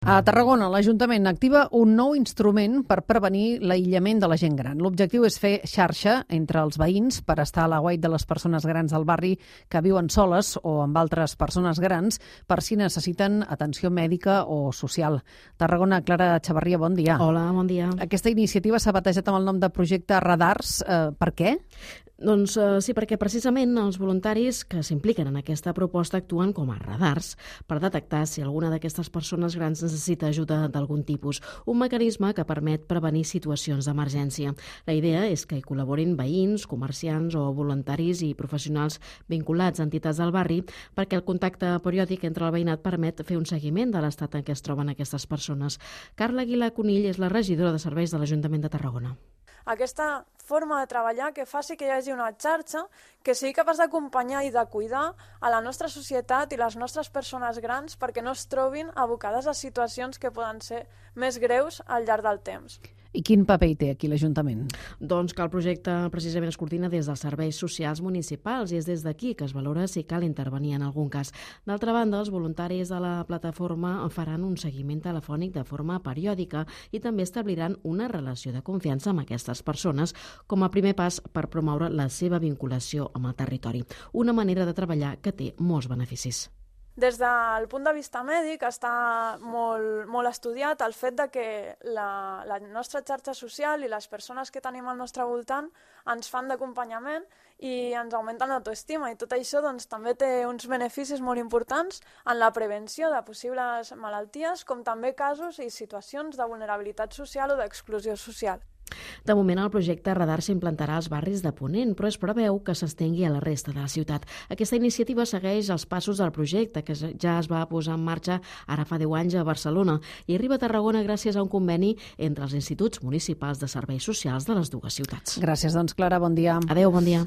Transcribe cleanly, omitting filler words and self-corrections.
A Tarragona, l'Ajuntament activa un nou instrument per prevenir l'aïllament de la gent gran. L'objectiu és fer xarxa entre els veïns per estar a l'aguait de les persones grans del barri que viuen soles o amb altres persones grans per si necessiten atenció mèdica o social. Tarragona, Clara Xavarria, bon dia. Hola, bon dia. Aquesta iniciativa s'ha batejat amb el nom de projecte Radars. Per què? Doncs sí, perquè precisament els voluntaris que s'impliquen en aquesta proposta actuen com a radars per detectar si alguna d'aquestes persones grans necessita ajuda d'algun tipus, un mecanisme que permet prevenir situacions d'emergència. La idea és que hi col·laborin veïns, comerciants o voluntaris i professionals vinculats a entitats del barri perquè el contacte periòdic entre el veïnat permet fer un seguiment de l'estat en què es troben aquestes persones. Carla Aguilar Conill és la regidora de serveis de l'Ajuntament de Tarragona. Aquesta forma de treballar que faci que hi hagi una xarxa que sigui capaç d'acompanyar i de cuidar a la nostra societat i les nostres persones grans perquè no es trobin abocades a situacions que poden ser més greus al llarg del temps. I quin paper hi té aquí l'Ajuntament? Doncs que el projecte precisament es coordina des dels serveis socials municipals i és des d'aquí que es valora si cal intervenir en algun cas. D'altra banda, els voluntaris de la plataforma faran un seguiment telefònic de forma periòdica i també establiran una relació de confiança amb aquestes persones com a primer pas per promoure la seva vinculació amb el territori. Una manera de treballar que té molts beneficis. Des del punt de vista mèdic està molt estudiat el fet de que la nostra xarxa social i les persones que tenim al nostre voltant ens fan d'acompanyament i ens augmenten l'autoestima i tot això doncs, també té uns beneficis molt importants en la prevenció de possibles malalties com també casos i situacions de vulnerabilitat social o d'exclusió social. De moment, el projecte Radar s'implantarà als barris de Ponent, però es preveu que s'estengui a la resta de la ciutat. Aquesta iniciativa segueix els passos del projecte, que ja es va posar en marxa ara fa 10 anys a Barcelona i arriba a Tarragona gràcies a un conveni entre els instituts municipals de serveis socials de les dues ciutats. Gràcies, doncs, Clara, bon dia. Adéu, bon dia.